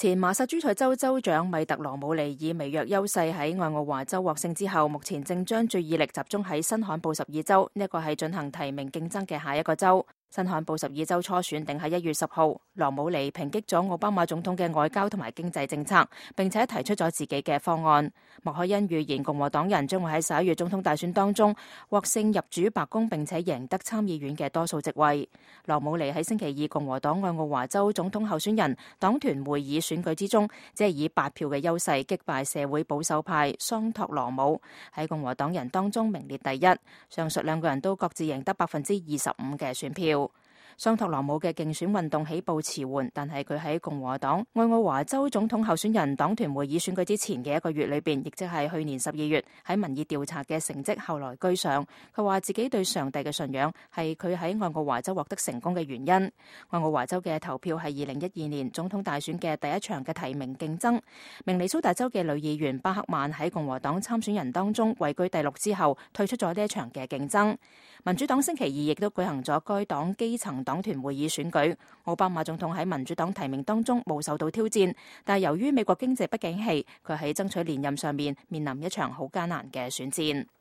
前馬薩諸塞州州長米特羅姆尼以微弱優勢喺愛奧華州獲勝之後，目前正將注意力集中喺新罕布什爾州，呢一個係進行提名競爭嘅下一個州。新罕布什爾州初選定喺1月10號，羅姆尼抨擊咗奧巴馬總統嘅外交同埋經濟政策，並且提出咗自己嘅方案。莫凱恩預言共和黨人將會喺11月總統大選當中獲勝入主白宮，並且贏得參議院嘅多數席位。羅姆尼喺星期二共和黨愛奧華州總統候選人黨團會議選舉之中，只係以8票嘅優勢擊敗社會保守派桑托羅姆，喺共和黨人當中名列第一。上述兩個人都各自贏得25%嘅選票。桑托羅姆嘅競選運動起步遲緩，但係佢喺共和黨愛奧華州總統候選人黨團會議選舉之前嘅1個月裏邊，亦即係去年12月喺民意調查嘅成績後來居上。佢話自己對上帝嘅信仰係佢喺愛奧華州獲得成功嘅原因。愛奧華州嘅投票係2012年總統大選嘅第一場嘅提名競爭。明尼蘇達州嘅女議員巴克曼喺共和黨參選人當中位居第6之後，退出咗呢一場嘅競爭。民主黨星期二亦都舉行咗該黨基層黨團會議選舉。奧巴馬總統喺民主黨提名當中冇受到挑戰，但係由於美國經濟不景氣，佢喺爭取連任上面臨一場好艱難嘅選戰。